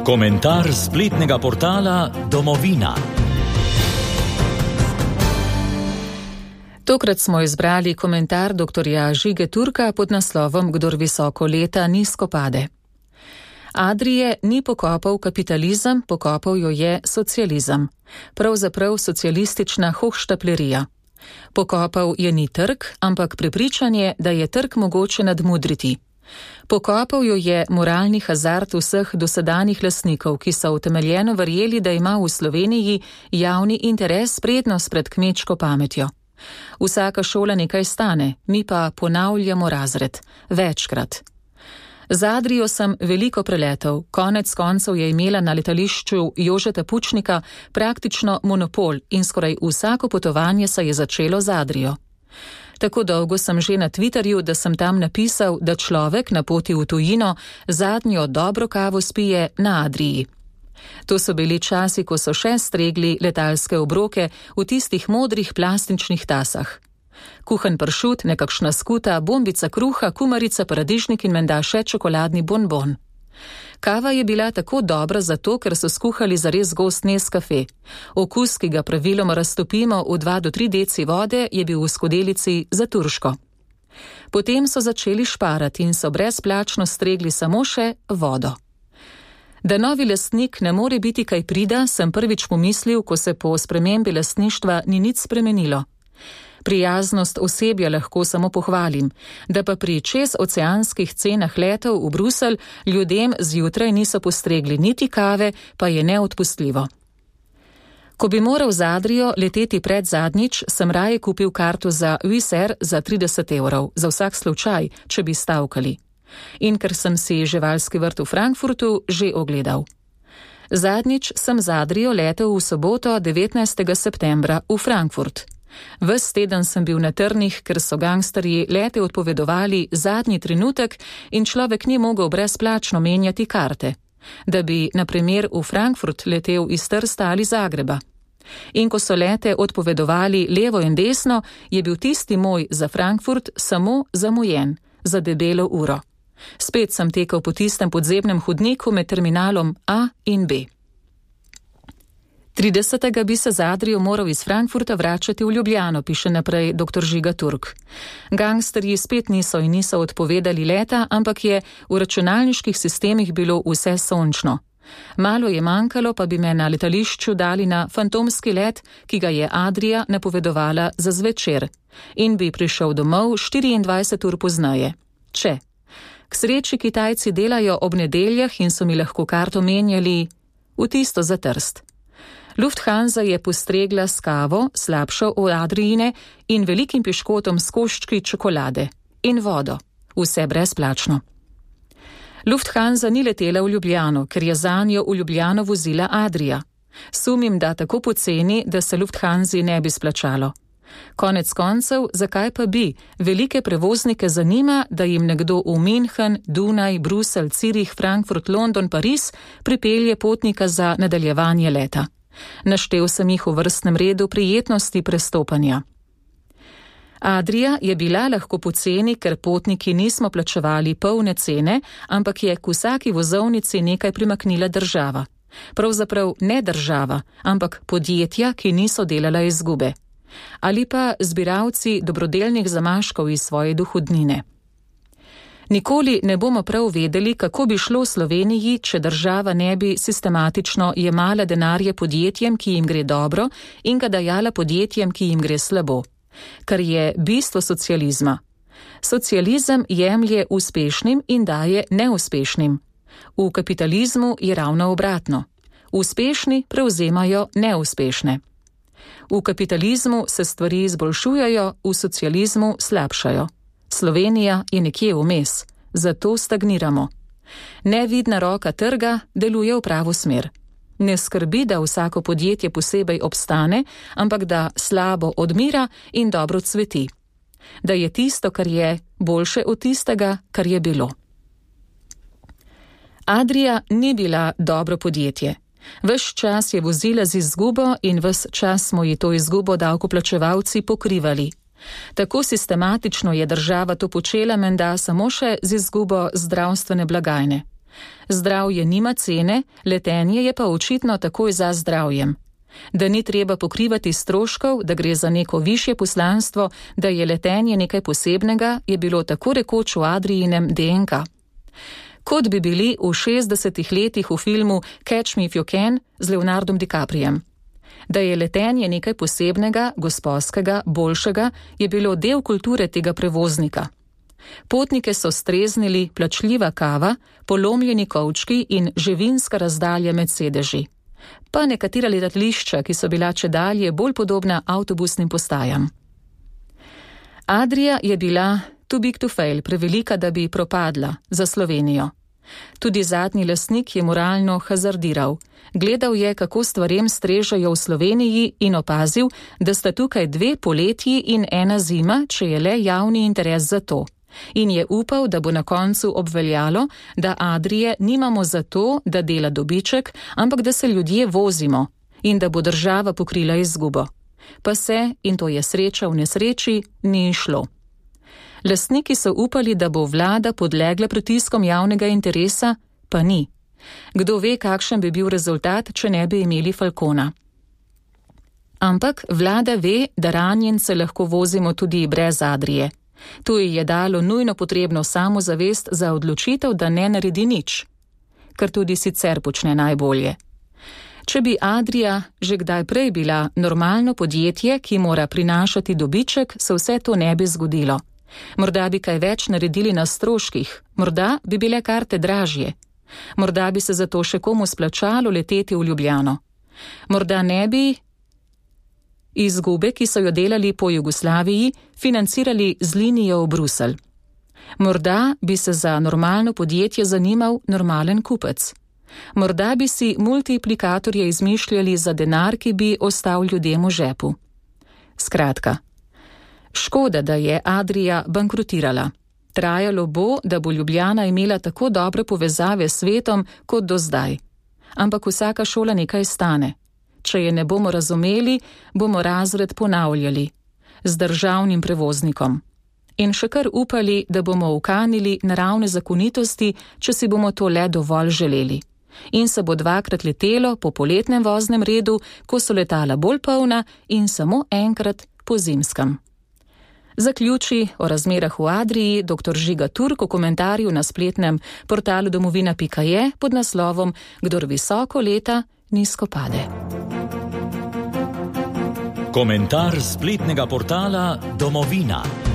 Komentar spletnega portala Domovina. Tokrat smo izbrali komentar dr. Žige Turka pod naslovom Kdor visoko leta, nizko pade. Adrije ni pokopal kapitalizem, pokopal jo je socializem. Pravzaprav socialistična hohštaplerija. Pokopal je ni trg, ampak prepričanje, da je trg mogoče nadmudriti. Pokopal jo je moralni hazard vseh dosedanjih lastnikov, ki so utemeljeno verjeli, da ima v Sloveniji javni interes prednost pred kmečko pametjo. Vsaka šola nekaj stane, mi pa ponavljamo razred. Večkrat. Z Adrijo sem veliko preletel, konec koncev je imela na letališču Jožeta Pučnika praktično monopol in skoraj vsako potovanje se je začelo z Adrijo. Tako dolgo sem že na Twitterju, da sem tam napisal, da človek na poti v tujino zadnjo dobro kavo spije na Adriji. To so bili časi, ko so še stregli letalske obroke v tistih modrih plastičnih tasah. Kuhan pršut, nekakšna skuta, bombica kruha, kumarica, paradižnik in menda še čokoladni bonbon. Kava je bila tako dobra zato, ker so skuhali zares gost Nescafe. Okus, ki ga praviloma raztopimo v 2 do 3 deci vode, je bil v skodelici za turško. Potem so začeli šparati in so brezplačno stregli samo še vodo. Da novi lastnik ne more biti kaj prida, sem prvič pomislil, ko se po spremembi lastništva ni nič spremenilo. Prijaznost osebja lahko samo pohvalim, da pa pri čezoceanskih cenah letov v Bruselj ljudem zjutraj niso postregli niti kave, pa je neodpustljivo. Ko bi moral z Adrijo leteti pred zadnjič, sem raje kupil karto za Wizz Air za 30 €, za vsak slučaj, če bi stavkali. In ker sem si živalski vrt v Frankfurtu že ogledal. Zadnjič sem z Adrijo letel v soboto 19. septembra v Frankfurt. Ves teden sem bil na trnih, ker so gangsterji lete odpovedovali zadnji trenutek in človek ni mogel brezplačno menjati karte, da bi, na primer, v Frankfurt letel iz Trsta ali Zagreba. In ko so lete odpovedovali levo in desno, je bil tisti moj za Frankfurt samo zamujen, za debelo uro. Spet sem tekel po tistem podzemnem hodniku med terminalom A in B. 30. bi se z Adrijo moral iz Frankfurta vračati v Ljubljano, piše naprej dr. Žiga Turk. Gangsterji spet niso odpovedali leta, ampak je v računalniških sistemih bilo vse sončno. Malo je manjkalo, pa bi me na letališču dali na fantomski let, ki ga je Adrija napovedovala za zvečer, in bi prišel domov 24 ur pozneje. Če. K sreči Kitajci delajo ob nedeljah in so mi lahko karto menjali v tisto za Trst. Lufthansa je postregla s kavo, slabšo od Adrijine, in velikim piškotom s koščki čokolade in vodo. Vse brezplačno. Lufthansa ni letela v Ljubljano, ker je zanjo v Ljubljano vozila Adrija. Sumim, da tako poceni, da se Lufthansi ne bi splačalo. Konec koncev, zakaj pa bi? Velike prevoznike zanima, da jim nekdo v München, Dunaj, Bruselj, Cirih, Frankfurt, London, Pariz pripelje potnika za nadaljevanje leta. Naštel sem jih v vrstnem redu prijetnosti prestopanja. Adrija je bila lahko poceni, ker potniki nismo plačevali polne cene, ampak je k vsaki vozovnici nekaj primaknila država. Pravzaprav ne država, ampak podjetja, ki niso delala izgube. Ali pa zbiralci dobrodelnih zamaškov iz svoje dohodnine. Nikoli ne bomo prav vedeli, kako bi šlo Sloveniji, če država ne bi sistematično jemala denarje podjetjem, ki jim gre dobro, in ga dajala podjetjem, ki jim gre slabo. Kar je bistvo socializma. Socializem jemlje uspešnim in daje neuspešnim. V kapitalizmu je ravno obratno. Uspešni prevzemajo neuspešne. V kapitalizmu se stvari izboljšujejo, v socializmu slabšajo. Slovenija je nekje vmes, zato stagniramo. Nevidna roka trga deluje v pravo smer. Ne skrbi, da vsako podjetje posebej obstane, ampak da slabo odmira in dobro cveti. Da je tisto, kar je, boljše od tistega, kar je bilo. Adrija ni bila dobro podjetje. Ves čas je vozila z izgubo in ves čas smo ji to izgubo davkoplačevalci pokrivali. Tako sistematično je država to počela menda samo še z izgubo zdravstvene blagajne. Zdravje nima cene, letenje je pa očitno takoj za zdravjem. Da ni treba pokrivati stroškov, da gre za neko višje poslanstvo, da je letenje nekaj posebnega, je bilo tako rekoč v Adrijinem DNK. Kot bi bili v 60 letih v filmu Catch Me If You Can z Leonardom DiCapriem. Da je letenje nekaj posebnega, gosposkega, boljšega, je bilo del kulture tega prevoznika. Potnike so streznili plačljiva kava, polomljeni kovčki in živinska razdalja med sedeži. Pa nekatera letališča, ki so bila čedalje bolj podobna avtobusnim postajam. Adria je bila too big to fail, prevelika, da bi propadla, za Slovenijo. Tudi zadnji lastnik je moralno hazardiral. Gledal je, kako stvarem strežejo v Sloveniji in opazil, da sta tukaj 2 poletji in 1 zima, če je le javni interes za to. In je upal, da bo na koncu obveljalo, da Adrije nimamo zato, da dela dobiček, ampak da se ljudje vozimo in da bo država pokrila izgubo. Pa se, in to je sreča v nesreči, ni šlo. Lastniki so upali, da bo vlada podlegla pritiskom javnega interesa, pa ni. Kdo ve, kakšen bi bil rezultat, če ne bi imeli Falcona. Ampak vlada ve, da ranjence lahko vozimo tudi brez Adrije. To ji je dalo nujno potrebno samozavest za odločitev, da ne naredi nič, kar tudi sicer počne najbolje. Če bi Adria že kdaj prej bila normalno podjetje, ki mora prinašati dobiček, se vse to ne bi zgodilo. Morda bi kaj več naredili na stroških, morda bi bile karte dražje. Morda bi se zato še komu splačalo leteti v Ljubljano. Morda ne bi izgube, ki so jo delali po Jugoslaviji, financirali z linijo v Bruselj. Morda bi se za normalno podjetje zanimal normalen kupec. Morda bi si multiplikatorje izmišljali za denar, ki bi ostal ljudem v žepu. Skratka, škoda, da je Adria bankrotirala. Trajalo bo, da bo Ljubljana imela tako dobre povezave s svetom kot do zdaj. Ampak vsaka šola nekaj stane. Če je ne bomo razumeli, bomo razred ponavljali z državnim prevoznikom. In še kar upali, da bomo ukanili naravne zakonitosti, če si bomo to le dovolj želeli. In se bo 2-krat letelo po poletnem voznem redu, ko so letala bolj polna, in samo enkrat po zimskem. Zaključi o razmerah v Adriji dr. Žiga Turk v komentarju na spletnem portalu domovina.je pod naslovom Kdor visoko leta, nizko pade. Komentar spletnega portala Domovina.